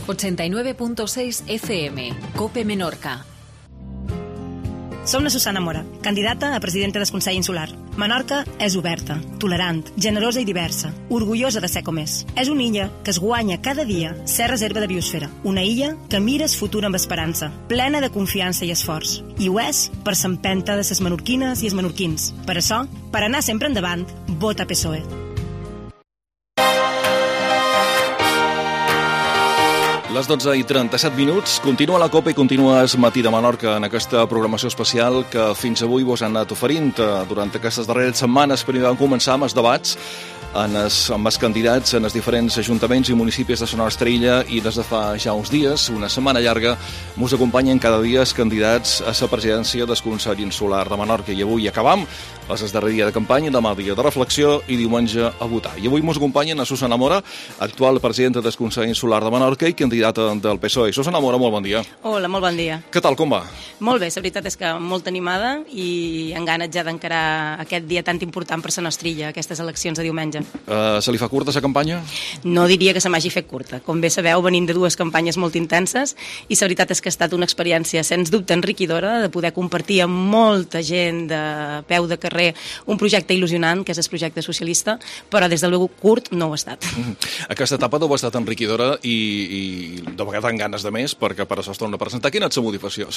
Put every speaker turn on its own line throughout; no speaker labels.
89.6 FM, COPE Menorca.
Som la Susana Mora, candidata a presidenta del Consell Insular. Menorca és oberta, tolerant, generosa i diversa, orgullosa de ser com és. És una illa que es guanya cada dia ser reserva de biosfera. Una illa que mira el futur amb esperança, plena de confiança i esforç. I ho és per s'empenta de ses menorquines i els menorquins. Per això, per anar sempre endavant, vota PSOE.
Les 12:37, continua la COPE i continua el matí de Menorca en aquesta programació especial que fins avui vos han anat oferint. Durant aquestes darreres setmanes vam començar amb els debats amb els candidats en els diferents ajuntaments i municipis de la nostra illa, i des de fa ja uns dies, una setmana llarga, ens acompanyen cada dia els candidats a la presidència del Consell Insular de Menorca. I avui acabam, és el darrer dia de campanya, demà dia de reflexió i diumenge a votar. I avui ens acompanyen a Susana Mora, actual presidenta del Consell Insular de Menorca i candidata del PSOE. Susana Mora, molt bon dia.
Hola, molt bon dia.
Què tal, com va?
Molt bé, la veritat és que molt animada i amb ganes ja d'encarar aquest dia tan important per la nostra illa, aquestes eleccions de diumenge.
Se li fa curta la campanya?
No diria que se m'hagi fet curta. Com bé sabeu, venim de dues campanyes molt intenses i la veritat és que ha estat una experiència sens dubte enriquidora de poder compartir amb molta gent de peu de carrer un projecte il·lusionant, que és el projecte socialista, però des de luego curt no ho ha estat.
Aquesta etapa deu ha estat enriquidora i de vegades amb ganes de més, perquè per això es torna a presentar. Quina és la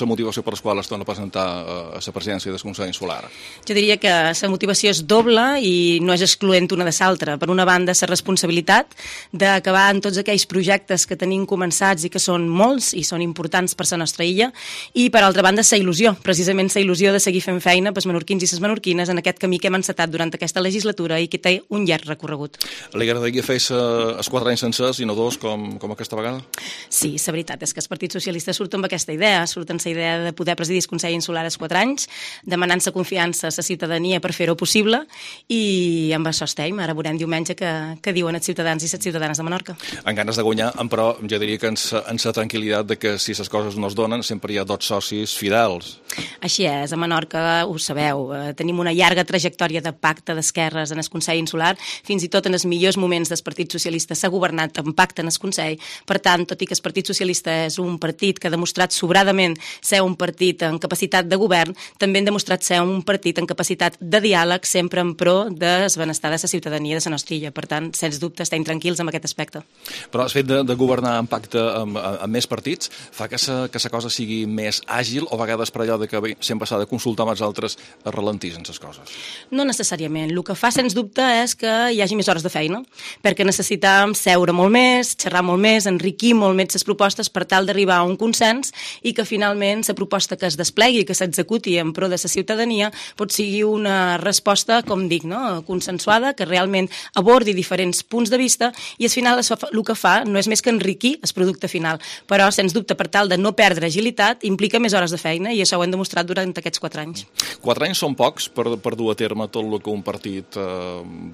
motivació per la qual es torna a presentar a la presidència del Consell Insular?
Jo diria que la motivació és doble i no és excloent una de l'altra. Per una banda, la responsabilitat d'acabar amb tots aquells projectes que tenim començats i que són molts i són importants per la nostra illa, i per altra banda, la il·lusió, precisament la il·lusió de seguir fent feina pels menorquins i les menorquines en aquest camí que hem encetat durant aquesta legislatura i que té un llarg recorregut.
Li agradaria fer els 4 anys sencers i no 2 com aquesta vegada?
Sí, la veritat és que el Partit Socialista surt amb aquesta idea, surt amb la idea de poder presidir el Consell Insular als 4 anys, demanant la confiança a la ciutadania per fer-ho possible, i amb això estem. Ara veurem diumenge que diuen els ciutadans i les ciutadanes de Menorca.
En ganes de guanyar, però jo diria que ens la tranquil·litat de que si les coses no es donen sempre hi ha 2 socis fidels.
Així és, a Menorca ho sabeu, tenim una llarga trajectòria de pacte d'esquerres en el Consell Insular, fins i tot en els millors moments del Partit Socialista s'ha governat en pacte en el Consell. Per tant, tot i que el Partit Socialista és un partit que ha demostrat sobradament ser un partit en capacitat de govern, també han demostrat ser un partit en capacitat de diàleg, sempre en pro del benestar de la ciutadania de la nostra illa. Per tant, sens dubte, estem tranquils amb aquest aspecte.
Però el fet de governar en pacte amb més partits fa que la cosa sigui més àgil, o a vegades per allò de que sempre s'ha de consultar amb els altres es ralentitzen les coses?
No necessàriament. El que fa, sens dubte, és que hi hagi més hores de feina, perquè necessitem seure molt més, xerrar molt més, enriquir molt més les propostes per tal d'arribar a un consens i que finalment la proposta que es desplegui, que s'executi en pro de la ciutadania, pot sigui una resposta, com dic, no? Consensuada, que realment abordi diferents punts de vista, i al final el que fa no és més que enriquir el producte final. Però, sens dubte, per tal de no perdre agilitat, implica més hores de feina, i això ho hem demostrat durant aquests 4 anys.
4 anys són pocs per dur a terme tot el que un partit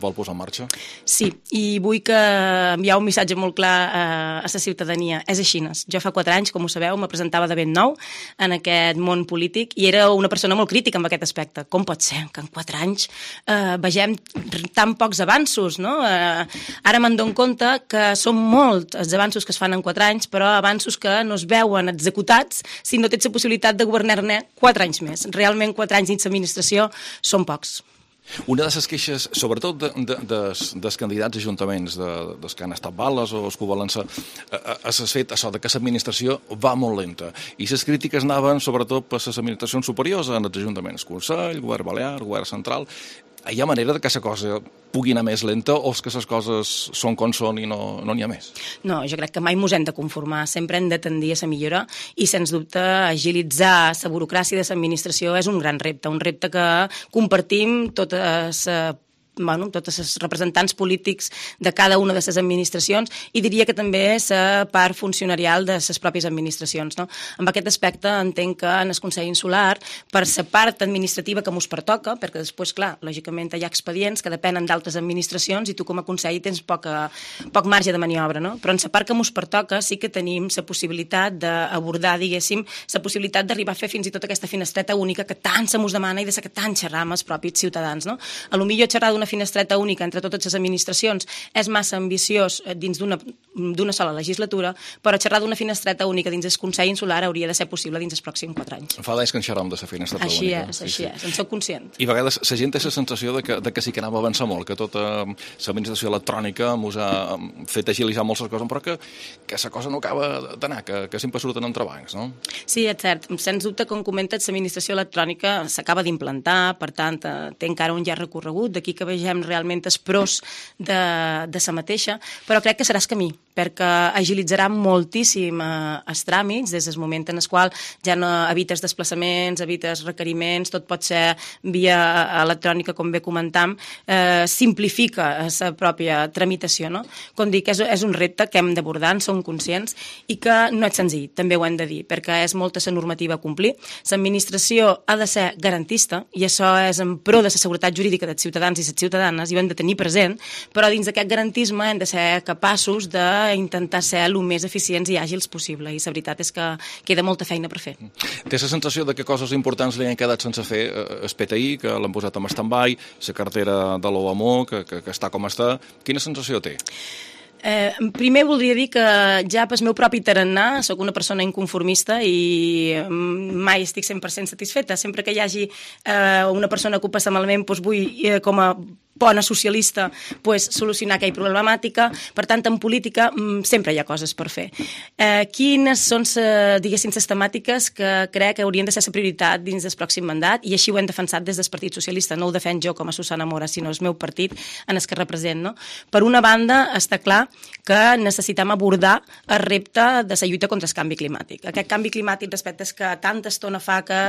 vol posar en marxa?
Sí, i vull que enviar un missatge molt clar a la ciutadania. És així. Jo fa 4 anys, com ho sabeu, me presentava de ben nou en aquest món polític i era una persona molt crítica amb aquest aspecte. Com pot ser que en 4 anys vegem tan pocs avanços, no? Ara me'n dono compte que són molts els avanços que es fan en 4 anys, però avanços que no es veuen executats si no tens la possibilitat de governar-ne 4 anys més. Realment 4 anys dins l'administració són pocs.
Una de les queixes, sobretot dels candidats a ajuntaments, dels que han estat bales o els que ho volen ser, és el fet això de que l'administració va molt lenta. I les crítiques anaven sobretot per les administracions superiors, en els ajuntaments, Consell, Govern Balear, Govern Central. Hi ha manera de que la cosa pugui anar més lenta, o és que les coses són com són i no n'hi ha més?
No, jo crec que mai ens hem de conformar, sempre hem de tendir a la millora, i sens dubte agilitzar la burocràcia de l'administració és un gran repte, un repte que compartim tots els representants polítics de cada una de les administracions, i diria que també la part funcionarial de les pròpies administracions. No? Amb aquest aspecte entenc que en el Consell Insular, per la part administrativa que mos pertoca, perquè després, clar, lògicament hi ha expedients que depenen d'altres administracions i tu com a Consell tens poc marge de maniobra, no? Però en la part que mos pertoca sí que tenim la possibilitat d'abordar, diguéssim, la possibilitat d'arribar a fer fins i tot aquesta finestreta única que tant se mos demana i de la que tant xerram els propis ciutadans. No? A lo millor xerrar d'una d'una finestreta única entre totes les administracions és massa ambiciós dins d'una sola legislatura, però xerrar d'una finestreta única dins el Consell Insular hauria de ser possible dins els pròxims 4 anys.
Fa d'anys que en xerram de la finestreta única.
Així és, en soc conscient.
I a vegades la gent té la sensació de que sí que anava a avançar molt, que tota l'administració electrònica ens ha fet agilitzar moltes coses, però que la cosa no acaba d'anar, que sempre surten entrebancs, no?
Sí, és cert. Sens dubte, com comentes, l'administració electrònica s'acaba d'implantar, per tant, té encara un llarg recorregut, d'aquí que vegem realment els pros de la mateixa, però crec que serà el camí, perquè agilitzarà moltíssim els tràmits, des del moment en el qual ja no evites desplaçaments, evites requeriments, tot pot ser via electrònica, com bé comentam, simplifica la pròpia tramitació, no? Com dic, és un repte que hem d'abordar, en som conscients, i que no és senzill, també ho hem de dir, perquè és molta la normativa a complir. L'administració ha de ser garantista, i això és en pro de la seguretat jurídica dels ciutadans i les ciutadanes, i ho hem de tenir present, però dins d'aquest garantisme hem de ser capaços d'intentar ser el més eficients i àgils possible, i la veritat és que queda molta feina per fer.
Té la sensació de que coses importants li han quedat sense fer, el PTI, que l'han posat en stand-by, la cartera de l'OMO, que està com està. Quina sensació té?
Primer voldria dir que ja pel meu propi tarannà soc una persona inconformista i mai estic 100% satisfeta. Sempre que hi hagi una persona que ho passa malament, doncs vull, com a bona socialista, solucionar aquella problemàtica. Per tant, en política sempre hi ha coses per fer. Quines són, diguéssim, les temàtiques que crec que haurien de ser la prioritat dins del pròxim mandat, i així ho hem defensat des del Partit Socialista. No ho defenc jo com a Susana Mora, sinó el meu partit en el que represent, no? Per una banda, està clar que necessitem abordar el repte de la lluita contra el canvi climàtic. Aquest canvi climàtic respecte a que tanta estona fa que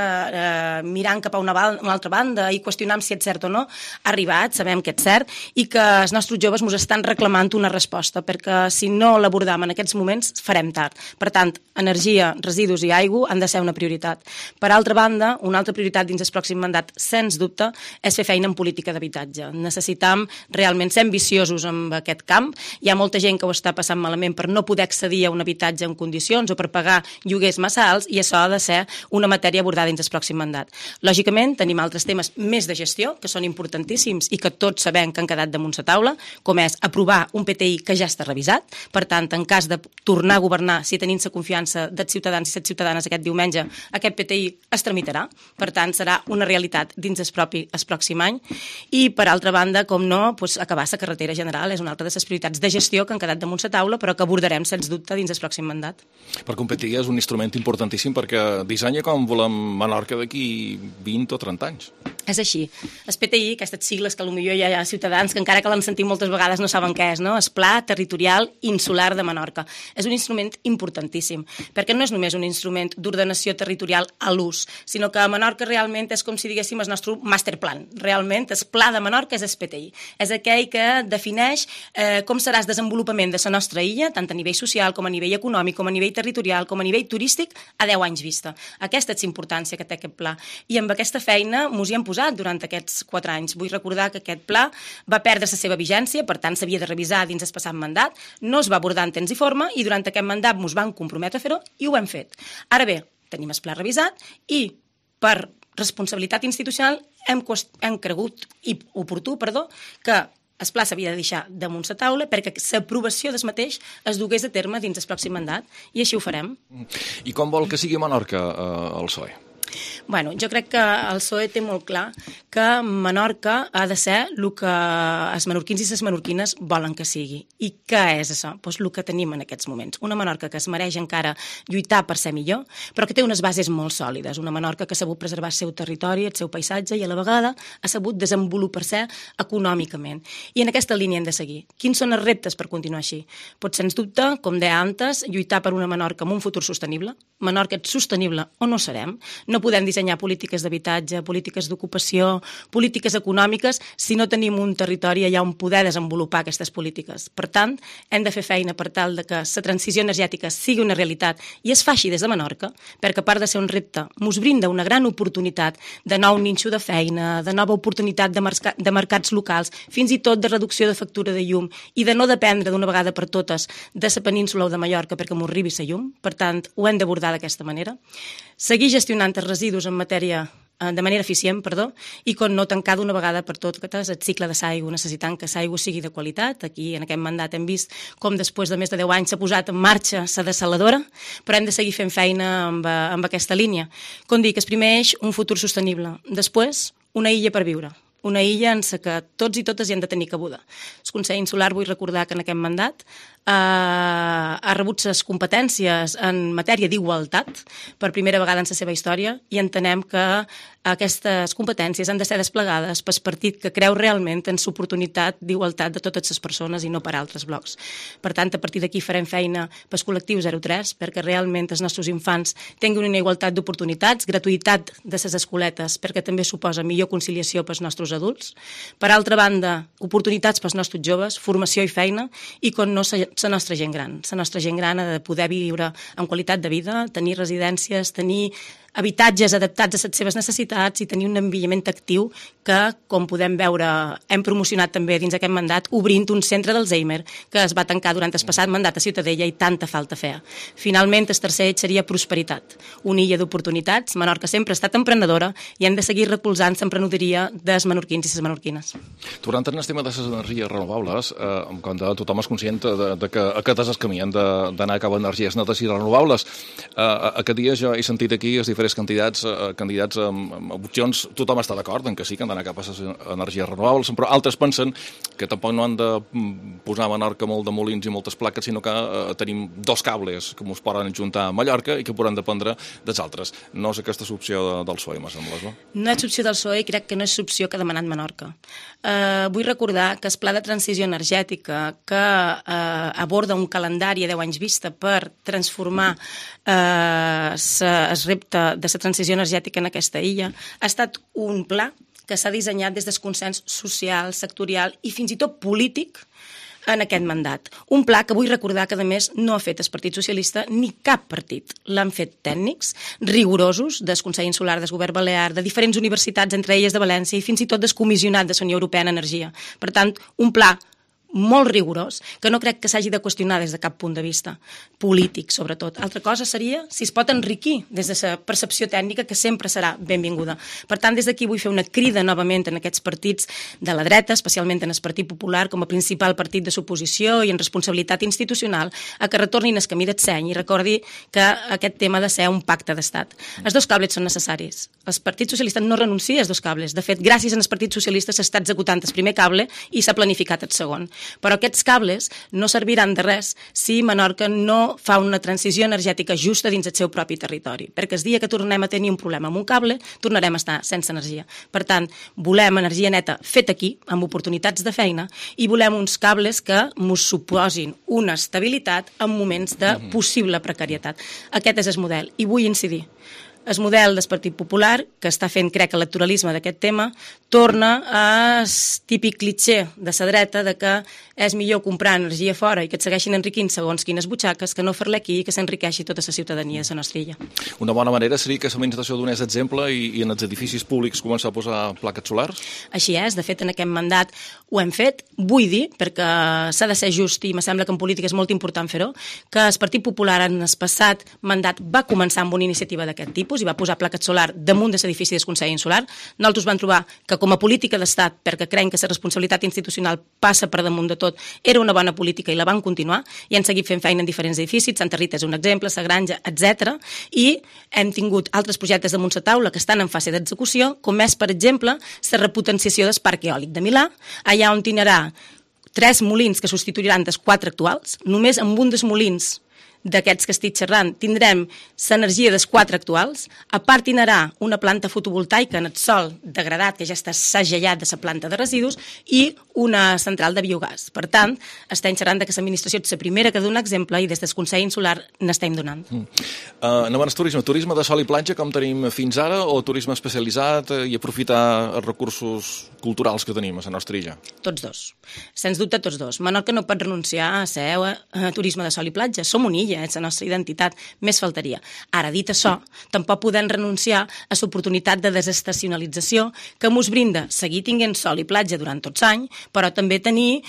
mirant cap a una altra banda i qüestionant si és cert o no, ha arribat, sabem que és cert, i que els nostres joves ens estan reclamant una resposta, perquè si no l'abordam en aquests moments farem tard. Per tant, energia, residus i aigua han de ser una prioritat. Per altra banda, una altra prioritat dins el pròxim mandat, sens dubte, és fer feina en política d'habitatge. Necessitam realment ser ambiciosos en aquest camp. Hi ha molta gent que ho està passant malament per no poder accedir a un habitatge en condicions o per pagar lloguers massa alts, i això ha de ser una matèria abordada dins el pròxim mandat. Lògicament, tenim altres temes més de gestió, que són importantíssims i que tots sabem que han quedat damunt la taula, com és aprovar un PTI que ja està revisat. Per tant, en cas de tornar a governar, si tenim la confiança dels ciutadans i les ciutadanes aquest diumenge, aquest PTI es tramitarà. Per tant, serà una realitat dins el pròxim any. I, per altra banda, com no, acabar la carretera general és una altra de les prioritats de gestió que han quedat damunt la taula, però que abordarem, sens dubte, dins el pròxim mandat.
Perquè un PTI és un instrument importantíssim perquè dissenya com volem Menorca d'aquí 20 o 30 anys.
És així. El PTI, aquestes sigles que potser hi ha ciutadans que encara que l'han sentit moltes vegades no saben què és, no? El Pla Territorial Insular de Menorca. És un instrument importantíssim, perquè no és només un instrument d'ordenació territorial a l'ús, sinó que a Menorca realment és com si diguéssim el nostre masterplan. Realment, el Pla de Menorca és el PTI. És aquell que defineix com serà el desenvolupament de la nostra illa, tant a nivell social com a nivell econòmic, com a nivell territorial, com a nivell turístic, a 10 anys vista. Aquesta és la importància que té aquest pla. I amb aquesta feina ens hi hem posat durant aquests 4 anys. Vull recordar que aquest pla va perdre la seva vigència, per tant s'havia de revisar dins el passat mandat, no es va abordar en temps i forma, i durant aquest mandat ens vam comprometre a fer-ho i ho hem fet. Ara bé, tenim el pla revisat i per responsabilitat institucional hem cregut oportú que el pla s'havia de deixar damunt la taula perquè l'aprovació del mateix es dugués a terme dins el pròxim mandat, i així ho farem.
I com vol que sigui Menorca el PSOE?
Bueno, jo crec que el PSOE té molt clar que Menorca ha de ser el que els menorquins i les menorquines volen que sigui. I què és això? Doncs el que tenim en aquests moments. Una Menorca que es mereix encara lluitar per ser millor, però que té unes bases molt sòlides. Una Menorca que ha sabut preservar el seu territori, el seu paisatge, i a la vegada ha sabut desenvolupar-se econòmicament. I en aquesta línia hem de seguir. Quins són els reptes per continuar així? Pot, sens dubte, com deia antes, lluitar per una Menorca amb un futur sostenible. Menorca és sostenible o no serem. No podem dissenyar polítiques d'habitatge, polítiques d'ocupació, polítiques econòmiques, si no tenim un territori allà on poder desenvolupar aquestes polítiques. Per tant, hem de fer feina per tal de que la transició energètica sigui una realitat i es faci des de Menorca, perquè a part de ser un repte, ens brinda una gran oportunitat de nou nínxol de feina, de nova oportunitat de mercats locals, fins i tot de reducció de factura de llum i de no dependre d'una vegada per totes de la península o de Mallorca perquè m'ho arribi la llum. Per tant, ho hem d'abordar d'aquesta manera. Seguir gestionant els residus en matèria de manera eficient, i com no tancar d'una vegada per totes el cicle de l'aigua, necessitant que l'aigua sigui de qualitat. Aquí, en aquest mandat, hem vist com després de més de 10 anys s'ha posat en marxa la dessaladora, però hem de seguir fent feina amb aquesta línia. Com dic, el primer eix, un futur sostenible. Després, una illa per viure. Una illa en la que tots i totes hi han de tenir cabuda. El Consell Insular, vull recordar que en aquest mandat ha rebut les competències en matèria d'igualtat per primera vegada en la seva història i entenem que aquestes competències han de ser desplegades pel partit que creu realment en l'oportunitat d'igualtat de totes les persones i no per altres blocs. Per tant, a partir d'aquí farem feina pel col·lectiu 03 perquè realment els nostres infants tinguin una igualtat d'oportunitats, gratuïtat de les escoletes perquè també suposa millor conciliació pels nostres adults. Per altra banda, oportunitats pels nostres joves, formació i feina i com no la nostra gent gran. La nostra gent gran ha de poder viure amb qualitat de vida, tenir residències, tenir habitatges adaptats a les seves necessitats i tenir un envelliment actiu que, com podem veure, hem promocionat també dins aquest mandat, obrint un centre d'Alzheimer que es va tancar durant el passat mandat a Ciutadella i tanta falta feia. Finalment, el tercer eix seria prosperitat, una illa d'oportunitats. Menorca sempre ha estat emprenedora i hem de seguir recolzant l'emprenedoria dels menorquins i les menorquines.
Tornant al tema de les energies renovables, quan tothom és conscient de que aquest és el camí, hem d'anar cap a energies netes i renovables. Aquest dia jo he sentit aquí els diferents candidats amb opcions, tothom està d'acord en que sí, que han d'anar cap a les energies renovables, però altres pensen que tampoc no han de posar a Menorca molt de molins i moltes plaques, sinó que tenim 2 cables que ens poden juntar a Mallorca i que podran dependre dels altres. No és aquesta l'opció del PSOE, me sembla, no?
No és l'opció del PSOE i crec que no és l'opció que ha demanat Menorca. Vull recordar que el pla de transició energètica que aborda un calendari a 10 anys vista per transformar el repte de la transició energètica en aquesta illa ha estat un pla que s'ha dissenyat des del consens social, sectorial i fins i tot polític en aquest mandat. Un pla que vull recordar que, a més, no ha fet el Partit Socialista ni cap partit. L'han fet tècnics, rigorosos, del Consell Insular, del Govern Balear, de diferents universitats, entre elles de València, i fins i tot del comissionat de la Unió Europea en Energia. Per tant, un pla molt rigorós, que no crec que s'hagi de qüestionar des de cap punt de vista polític, sobretot. Altra cosa seria si es pot enriquir des de la percepció tècnica, que sempre serà benvinguda. Per tant, des d'aquí vull fer una crida novament en aquests partits de la dreta, especialment en el Partit Popular, com a principal partit de l'oposició i en responsabilitat institucional, a que retornin el camí del seny i recordi que aquest tema ha de ser un pacte d'estat. Els 2 cables són necessaris. El Partit Socialista no renuncia als 2 cables. De fet, gràcies al Partit Socialista s'està executant el primer cable i s'ha planificat el segon. Però aquests cables no serviran de res si Menorca no fa una transició energètica justa dins el seu propi territori, perquè el dia que tornem a tenir un problema amb un cable, tornarem a estar sense energia. Per tant, volem energia neta feta aquí, amb oportunitats de feina, i volem uns cables que ens suposin una estabilitat en moments de possible precarietat. Aquest és el model, i vull incidir. El model del Partit Popular, que està fent, crec, electoralisme d'aquest tema, torna al típic clitxer de la dreta de que és millor comprar energia fora i que et segueixin enriquint segons quines butxaques que no fer-la aquí i que s'enriqueixi tota la ciutadania de la nostra illa.
Una bona manera seria que l'administració donés exemple i en els edificis públics començar a posar plaques solars?
Així és, de fet en aquest mandat ho hem fet, vull dir, perquè s'ha de ser just i me sembla que en política és molt important fer-ho, que el Partit Popular en el passat mandat va començar amb una iniciativa d'aquest tipus i va posar plaques solar damunt de l'edifici del Consell Insular. Nosaltres vam trobar que com a política d'estat, perquè creiem que la responsabilitat institucional passa per damunt de tot, era una bona política i la van continuar i han seguit fent feina en diferents edificis. Santa Rita és un exemple, la Granja, etc. I hem tingut altres projectes damunt la taula que estan en fase d'execució, com és, per exemple, la repotenciació del parc eòlic de Milà, allà on tindrà 3 molins que substituiran dels 4 actuals. Només amb un dels molins d'aquests que estic xerrant tindrem l'energia dels 4 actuals, a part tindrà una planta fotovoltaica en el sòl degradat que ja està segellat de la planta de residus i una central de biogàs. Per tant, estem xerrant que l'administració és la primera que dona exemple i des del Consell Insular n'estem donant.
Anem al turisme. Turisme de sol i platja com tenim fins ara o turisme especialitzat i aprofitar els recursos culturals que tenim a la nostra illa?
Tots dos. Sens dubte tots dos. Menorca no pot renunciar a ser turisme de sol i platja. Som una illa Semilla, és la nostra identitat, més faltaria. Ara, dit això, tampoc podem renunciar a l'oportunitat de desestacionalització que mos brinda seguir tinguent sol i platja durant tots l'any, però també tenir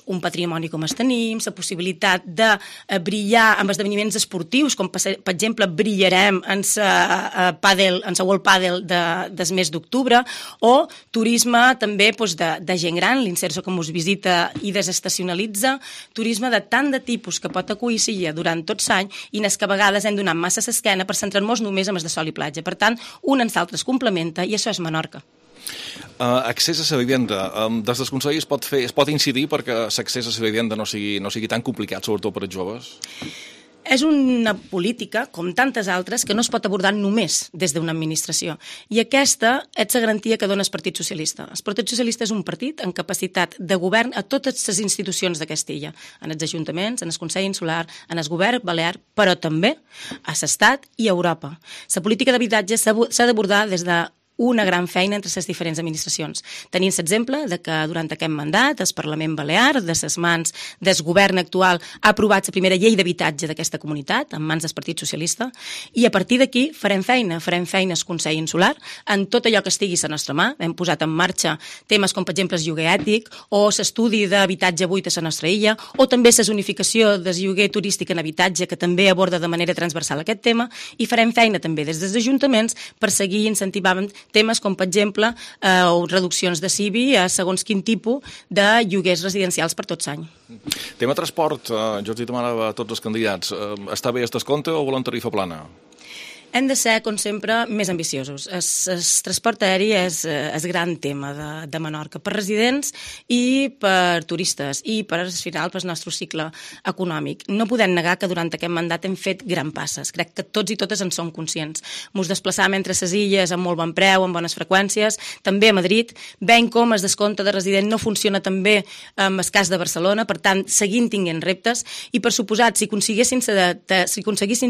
un patrimoni com es tenim, la possibilitat de brillar amb esdeveniments esportius, com per exemple brillarem en la World Padel del mes d'octubre, o turisme també de gent gran, l'Inserso que mos visita i desestacionalitza, turisme de tant de tipus que pot acollir durant tot l'any i en que a vegades hem donat massa l'esquena per centrar-nos només en els de sol i platja. Per tant, un en l'altre es complementa i això és Menorca.
Accés a la vivenda. Des del Consell es pot incidir perquè l'accés a la vivenda no sigui tan complicat, sobretot per als joves?
És una política, com tantes altres, que no es pot abordar només des d'una administració. I aquesta és la garantia que dona el Partit Socialista. El Partit Socialista és un partit amb capacitat de govern a totes les institucions de Castilla, en els ajuntaments, en el Consell Insular, en el govern balear, però també a l'Estat i a Europa. La política d'habitatge s'ha d'abordar des de una gran feina entre les diferents administracions. Tenim l'exemple de que durant aquest mandat el Parlament Balear, de les mans del govern actual, ha aprovat la primera llei d'habitatge d'aquesta comunitat, en mans del Partit Socialista, i a partir d'aquí farem feina al Consell Insular, en tot allò que estigui a la nostra mà. Hem posat en marxa temes com, per exemple, el lloguer ètic, o l'estudi d'habitatge buit a la nostra illa, o també la zonificació del lloguer turístic en habitatge, que també aborda de manera transversal aquest tema, i farem feina també des dels ajuntaments per seguir incentivant temes com, per exemple, reduccions de CIBI a segons quin tipus de lloguers residencials per tot l'any.
Tema transport, jo els demanava a tots els candidats, està bé el descompte o volen tarifa plana?
Hem de ser, com sempre, més ambiciosos. El transport aeri és el gran tema de Menorca, per residents i per turistes, i per, al final, pel nostre cicle econòmic. No podem negar que durant aquest mandat hem fet gran passes. Crec que tots i totes en som conscients. Mos desplaçàvem entre les illes amb molt bon preu, amb bones freqüències, també a Madrid, veient com el descompte de resident no funciona tan bé amb el cas de Barcelona, per tant, seguint tinguent reptes, i per suposat, si aconseguissin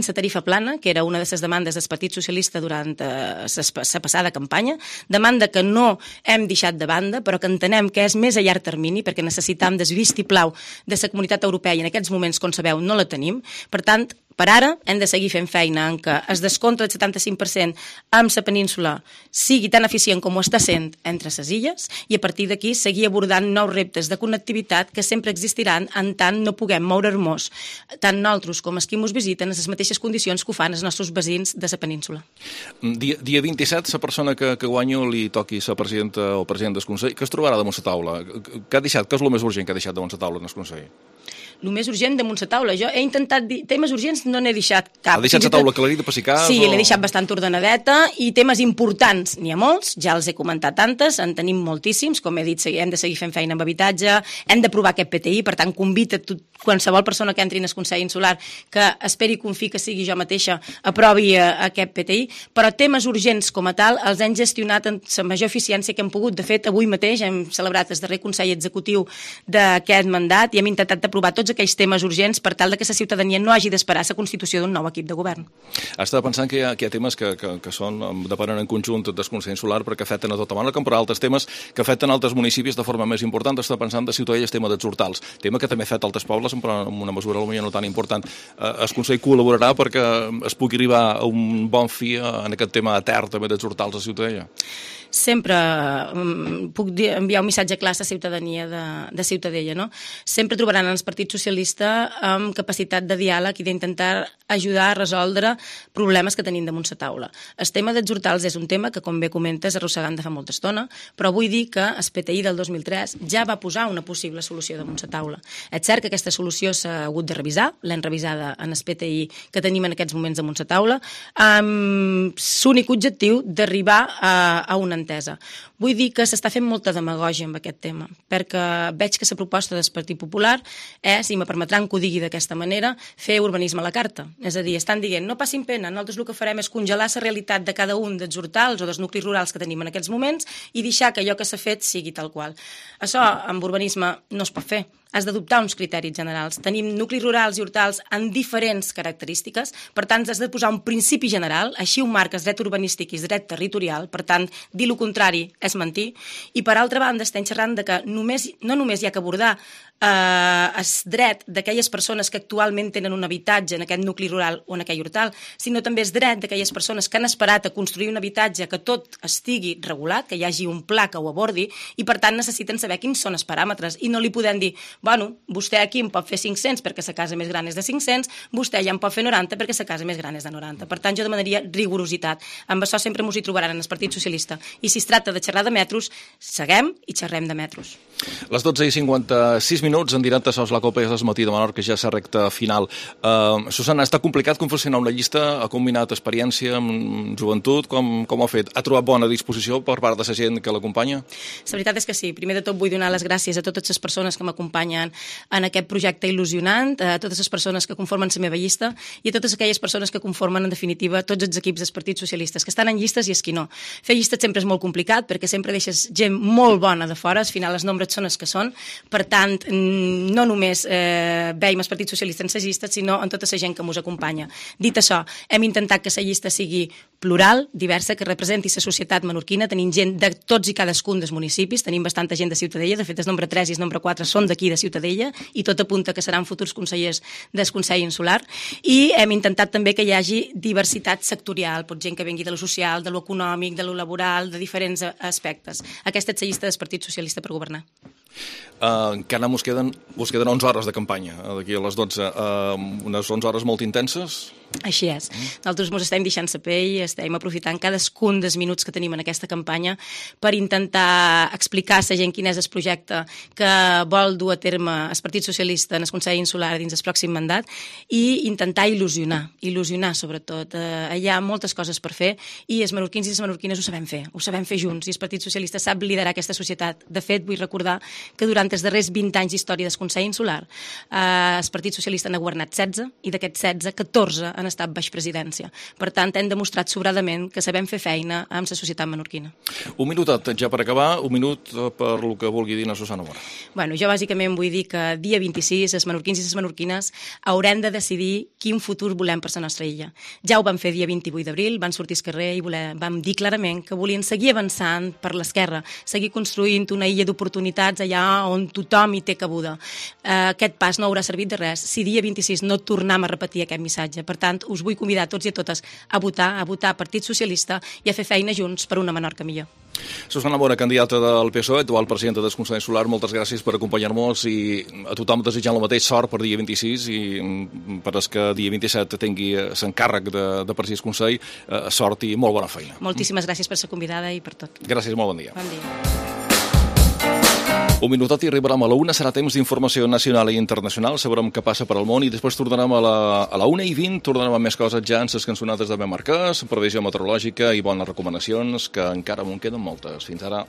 la tarifa plana, que era una de les demandes del Partit Socialista durant la passada campanya, demanda que no hem deixat de banda, però que entenem que és més a llarg termini, perquè necessitam del vistiplau de la comunitat europea i en aquests moments, com sabeu, no la tenim. Per tant, per ara hem de seguir fent feina en què es descompte del 75% amb la península sigui tan eficient com ho està sent entre les illes, i a partir d'aquí seguir abordant nous reptes de connectivitat que sempre existiran en tant no puguem moure'ns tant nosaltres com els qui ens visiten en les mateixes condicions que ho fan els nostres veïns de la península.
Dia 27, la persona que guanyi li toqui la presidenta o president del Consell, que es trobarà damunt la taula? Què és el més urgent que ha deixat damunt la taula en el Consell?
El més urgent damunt la taula. Jo he intentat dir temes urgents, no n'he deixat cap.
Ha deixat la taula aclarida per si cas?
Sí, l'he deixat bastant ordenadeta, i temes importants n'hi ha molts, ja els he comentat antes, en tenim moltíssims, com he dit, hem de seguir fent feina amb habitatge, hem d'aprovar aquest PTI, per tant, convita qualsevol persona que entri en el Consell Insular que esperi i confiï que sigui jo mateixa, aprovi aquest PTI, però temes urgents com a tal els hem gestionat amb la major eficiència que hem pogut. De fet, avui mateix hem celebrat el darrer Consell Executiu d'aquest mandat i hem intentat aprovar tots aquells temes urgents per tal que la ciutadania no hagi d'esperar la constitució d'un nou equip de govern.
Estava pensant que hi ha temes que depenen en conjunt del Consell Insular perquè afecten a tota Menorca, però altres temes que afecten altres municipis de forma més important. Estava pensant de Ciutadella, el tema dels hortals, tema que també afecta altres pobles, però en una mesura potser no tan important. El Consell col·laborarà perquè es pugui arribar a un bon fi en aquest tema etern també dels hortals a Ciutadella?
Sempre puc enviar un missatge clar a la ciutadania de Ciutadella, no? Sempre trobaran el Partit Socialista amb capacitat de diàleg i d'intentar ajudar a resoldre problemes que tenim damunt la taula. El tema dels hortals és un tema que, com bé comentes, arrossegant de fa molta estona, però vull dir que el PTI del 2003 ja va posar una possible solució damunt la taula. És cert que aquesta solució s'ha hagut de revisar, l'hem revisada en el PTI que tenim en aquests moments damunt la taula, amb l'únic objectiu d'arribar a una entesa. Vull dir que s'està fent molta demagògia amb aquest tema, perquè veig que la proposta del Partit Popular és, i me permetran que ho digui d'aquesta manera, fer urbanisme a la carta. És a dir, estan dient, no passin pena, nosaltres el que farem és congelar la realitat de cada un dels hortals o dels nuclis rurals que tenim en aquests moments i deixar que allò que s'ha fet sigui tal qual. Això amb urbanisme no es pot fer. Has d'adoptar uns criteris generals. Tenim nuclis rurals i hortals amb diferents característiques, per tant, has de posar un principi general, així ho marques dret urbanístic i dret territorial, per tant, dir el contrari és mentir, i per altra banda estem xerrant de que no només hi ha que abordar és dret d'aquelles persones que actualment tenen un habitatge en aquest nucli rural o en aquell hortal, sinó també és dret d'aquelles persones que han esperat a construir un habitatge que tot estigui regulat, que hi hagi un pla que ho abordi, i per tant necessiten saber quins són els paràmetres, i no li podem dir, bueno, vostè aquí em pot fer 500 perquè sa casa més gran és de 500, vostè ja em pot fer 90 perquè sa casa més gran és de 90. Per tant, jo demanaria rigorositat. Amb això sempre mos hi trobaran en el Partit Socialista. I si es tracta de xerrar de metros, seguem i xerrem de metros.
Les 12:56 minuts, en directe a la Copa és Matí de Menorca, ja s'ha recta final. Susana, està complicat confeccionar una llista? Ha combinat experiència amb joventut? Com ho ha fet? Ha trobat bona disposició per part de la gent que l'acompanya?
La veritat és que sí. Primer de tot vull donar les gràcies a totes les persones que m'acompanyen en aquest projecte il·lusionant, a totes les persones que conformen la meva llista i a totes aquelles persones que conformen, en definitiva, tots els equips dels partits socialistes, que estan en llistes i els que no. Fer llistes sempre és molt complicat perquè sempre deixes gent molt bona de fora, al final els nombres són els que són, per tant, no només veiem els partits socialistes en les llistes, sinó en tota la gent que ens acompanya. Dit això, hem intentat que la llista sigui plural, diversa, que representi la societat menorquina, tenim gent de tots i cadascun dels municipis, tenim bastanta gent de Ciutadella, de fet el nombre 3 i el nombre 4 són d'aquí de Ciutadella i tot apunta que seran futurs consellers del Consell Insular, i hem intentat també que hi hagi diversitat sectorial, pot gent que vengui de lo social, de lo econòmic, de lo laboral, de diferents aspectes. Aquesta és la llista del Partit Socialista per governar.
Encara us queden 11 hores de campanya, d'aquí a les 12, unes 11 hores molt intenses?
Així és. Nosaltres ens estem deixant la pell, estem aprofitant cadascun dels minuts que tenim en aquesta campanya per intentar explicar a la gent quin és el projecte que vol dur a terme el Partit Socialista en el Consell Insular dins el pròxim mandat i intentar il·lusionar sobretot. Hi ha moltes coses per fer i els menorquins i les menorquines ho sabem fer junts, i el Partit Socialista sap liderar aquesta societat. De fet, vull recordar que durant els darrers 20 anys d'història del Consell Insular el Partit Socialista n'ha governat 16 i d'aquests 16, 14 han estat baix presidència. Per tant, hem demostrat sobradament que sabem fer feina amb la societat menorquina.
Un minutet ja per acabar, un minut per lo que vulgui dir la Susana Mora.
Bueno, jo bàsicament vull dir que dia 26 els menorquins i les menorquines haurem de decidir quin futur volem per la nostra illa. Ja ho vam fer dia 28 d'abril, van sortir al carrer i vam dir clarament que volien seguir avançant per l'esquerra, seguir construint una illa d'oportunitats allà on tothom hi té cabuda. Aquest pas no haurà servit de res si dia 26 no tornem a repetir aquest missatge. Per tant, us vull convidar a tots i a totes a votar Partit Socialista i a fer feina junts per una Menorca millor.
Susana Mora, candidata del PSOE, actual presidenta del Consell Insular, moltes gràcies per acompanyar-nos i a tothom desitjant el mateix sort per dia 26 i per als que dia 27 tingui l'encàrrec de presidir el Consell, sort i molt bona feina.
Moltíssimes gràcies per ser convidada i per tot.
Gràcies, molt bon dia.
Bon dia.
Un minutet i arribarem a la 1, serà temps d'informació nacional i internacional, sabrem què passa per al món i després tornarem a la 1:20, tornarem amb més coses ja en les cançonades de Ben Marquès, previsió meteorològica i bones recomanacions, que encara en queden moltes. Fins ara.